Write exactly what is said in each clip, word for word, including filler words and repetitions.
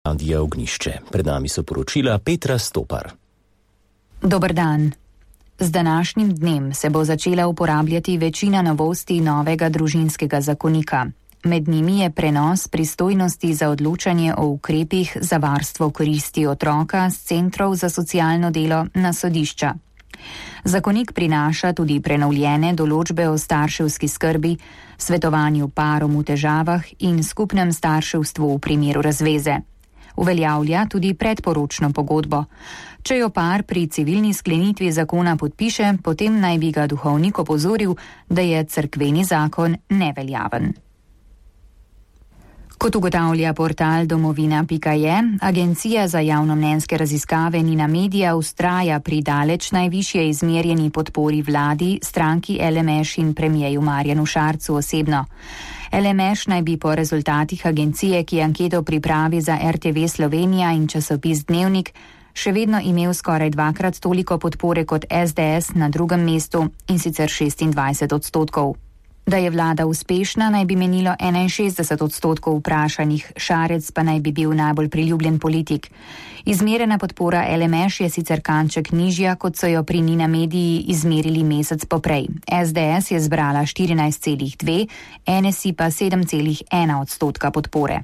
Radia Ognišče. Pred nami so poročila Petra Stopar. Dober dan. Z današnjim dnem se bo začela uporabljati večina novosti novega družinskega zakonika. Med njimi je prenos pristojnosti za odločanje o ukrepih za varstvo koristi otroka z centrov za socialno delo na sodišča. Zakonik prinaša tudi prenovljene določbe o starševski skrbi, svetovanju parom v težavah in skupnem starševstvu v primeru razveze. Uveljavlja tudi predporočno pogodbo. Če jo par pri civilni sklenitvi zakona podpiše, potem naj bi ga duhovnik opozoril, da je cerkveni zakon neveljaven. Kot ugotavlja portal domovina pika je, Agencija za javnomnenjske raziskave Nina Media vztraja pri daleč najvišje izmerjeni podpori vladi, stranki L M Š in premijeju Marjanu Šarcu osebno. L M Š naj bi po rezultatih agencije, ki anketo pripravi za R T V Slovenija in časopis Dnevnik, še vedno imel skoraj dvakrat toliko podpore kot S D S na drugem mestu, in sicer šestindvajset odstotkov. Da je vlada uspešna, naj bi menilo enainšestdeset odstotkov vprašanih, Šarec pa naj bi bil najbolj priljubljen politik. Izmerjena podpora L M Š je sicer kanček nižja, kot so jo pri Nina Mediji izmerili mesec poprej. S D S je zbrala štirinajst celih dve, N S I pa sedem celih ena odstotka podpore.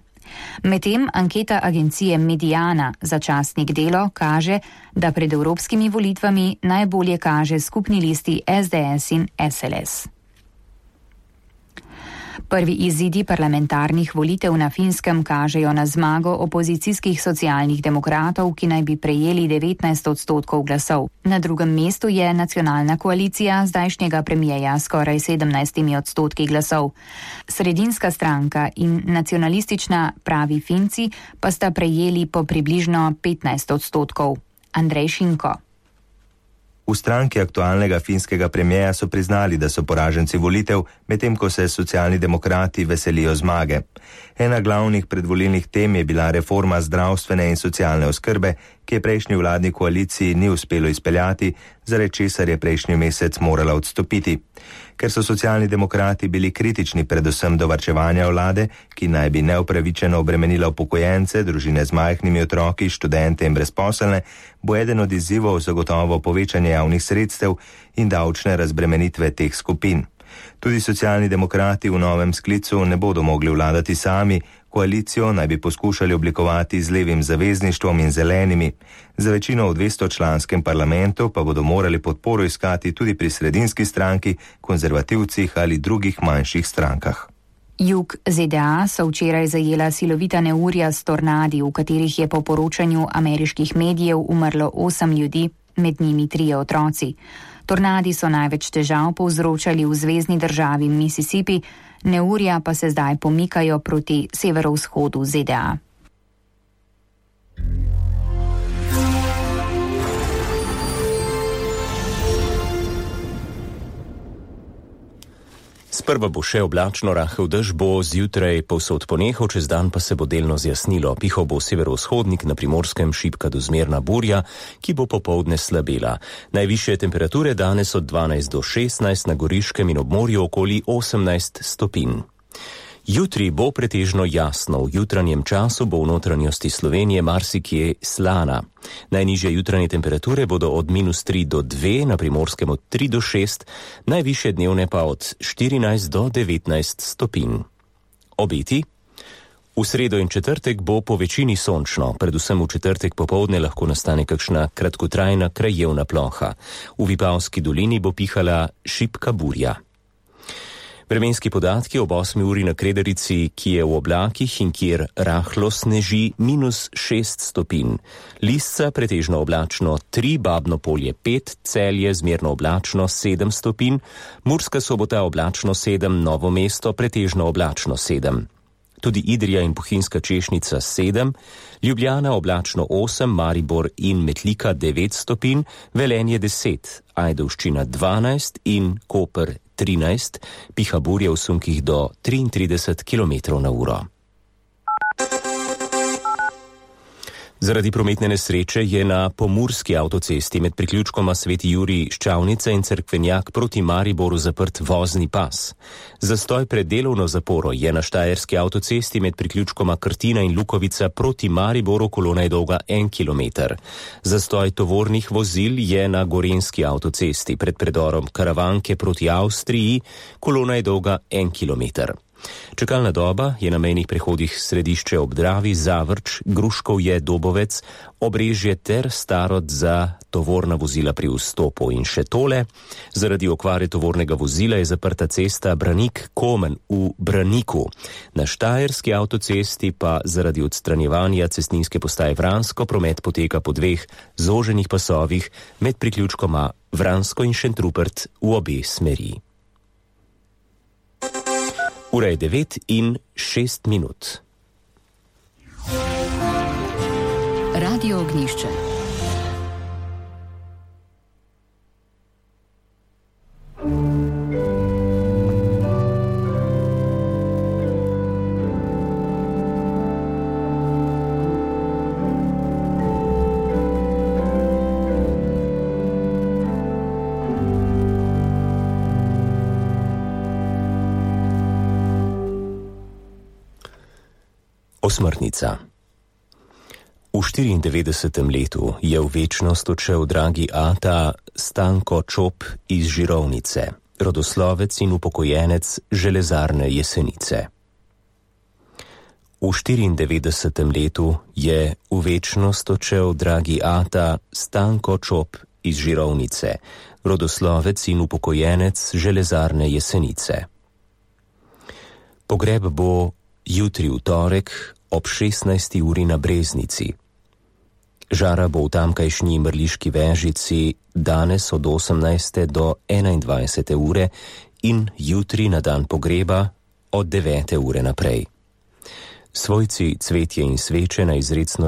Medtem anketa agencije Mediana za časnik Delo kaže, da pred evropskimi volitvami najbolje kaže skupni listi S D S in S L S. Prvi izidi parlamentarnih volitev na Finskem kažejo na zmago opozicijskih socialnih demokratov, ki naj bi prejeli devetnajst odstotkov glasov. Na drugem mestu je nacionalna koalicija zdajšnjega premijeja skoraj sedemnajstimi odstotki glasov. Sredinska stranka in nacionalistična Pravi Finci pa sta prejeli po približno petnajst odstotkov. Andrej Šinko. V stranki aktualnega finskega premijeja so priznali, da so poraženci volitev, medtem ko se socialni demokrati veselijo zmage. Ena glavnih predvolilnih tem je bila reforma zdravstvene in socialne oskrbe, ki je prejšnji vladni koaliciji ni uspelo izpeljati, zaradi česar je prejšnji mesec morala odstopiti. Ker so socialni demokrati bili kritični predvsem do varčevanja vlade, ki naj bi neupravičeno obremenila upokojence, družine z majhnimi otroki, študente in brezposelne, bo eden od izzivov zagotovo povečanje javnih sredstev in davčne razbremenitve teh skupin. Tudi socialni demokrati v novem sklicu ne bodo mogli vladati sami, koalicijo naj bi poskušali oblikovati z levim zavezništvom in zelenimi. Za večino v dvestočlanskem parlamentu pa bodo morali podporo iskati tudi pri sredinski stranki, konzervativcih ali drugih manjših strankah. Jug Z D A so včeraj zajela silovita neurja s tornadi, v katerih je po poročanju ameriških medijev umrlo osem ljudi, med njimi trije otroci. Tornadi so največ težav povzročali v zvezni državi Mississippi, neurja pa se zdaj pomikajo proti severovzhodu Z D A. Sprva bo še oblačno, rahel dež bo zjutraj povsod ponehal, čez dan pa se bo delno zjasnilo. Pihal bo severovzhodnik, na Primorskem šibka do zmerna burja, ki bo popoldne slabela. Najvišje temperature danes od dvanajst do šestnajst, na Goriškem in ob morju okoli osemnajst stopinj. Jutri bo pretežno jasno, v jutranjem času bo v notranjosti Slovenije marsikje slana. Najnižje jutranje temperature bodo od minus tri do dve, na Primorskem od tri do šest, najvišje dnevne pa od štirinajst do devetnajst stopinj. Obeti? V sredo in četrtek bo po večini sončno, predvsem v četrtek popoldne lahko nastane kakšna kratkotrajna krajevna ploha. V Vipavski dolini bo pihala šibka burja. Vremenski podatki ob osmi uri na Kredarici, ki je v oblakih in kjer rahlo sneži, minus šest stopinj. Lisca pretežno oblačno tri, Babno Polje pet, Celje zmerno oblačno sedem stopinj, Murska Sobota oblačno sedem, Novo mesto pretežno oblačno sedem. Tudi Idrija in Bohinjska Češnica sedem, Ljubljana oblačno osem, Maribor in Metlika devet stopinj, Velenje deset, Ajdovščina dvanajst in Koper trinajst, piha burja v sunkih do triintrideset kilometrov na uro. Zaradi prometne nesreče je na pomurski avtocesti med priključkoma Sveti Jurij Ščavnica in Cerkvenjak proti Mariboru zaprt vozni pas. Zastoj pred delovno zaporo je na štajerski avtocesti med priključkoma Krtina in Lukovica proti Mariboru, kolona je dolga en kilometer. Zastoj tovornih vozil je na gorenjski avtocesti pred predorom Karavanke proti Avstriji, kolona je dolga en kilometer. Čakalna doba je na mejnih prehodih Središče ob Dravi, Zavrč, Gruškovje, Dobovec, Obrežje ter Starod za tovorna vozila pri vstopu. In še tole, zaradi okvare tovornega vozila je zaprta cesta Branik-Komen v Braniku. Na štajerski avtocesti pa zaradi odstranjevanja cestninske postaje Vransko promet poteka po dveh zoženih pasovih med priključkoma Vransko in Šentrupert v obe smeri. Ura je devet in šest minut. Radio Ognjišče. Osmrtnica. V štiriindevetdesetem letu je v večnost odšel dragi ata Stanko Čop iz Žirovnice, rodoslovec in upokojenec železarne Jesenice. V štiriindevetdesetem letu je v večnost odšel dragi ata Stanko Čop iz Žirovnice, rodoslovec in upokojenec železarne Jesenice. Pogreb bo jutri v torek ob šestnajsti uri na Breznici. Žara bo v tamkajšnji Mrliški Vežici danes od osemnajste do enaindvajsete ure in jutri na dan pogreba od devete ure naprej. Svojci cvetje in sveče na izrecno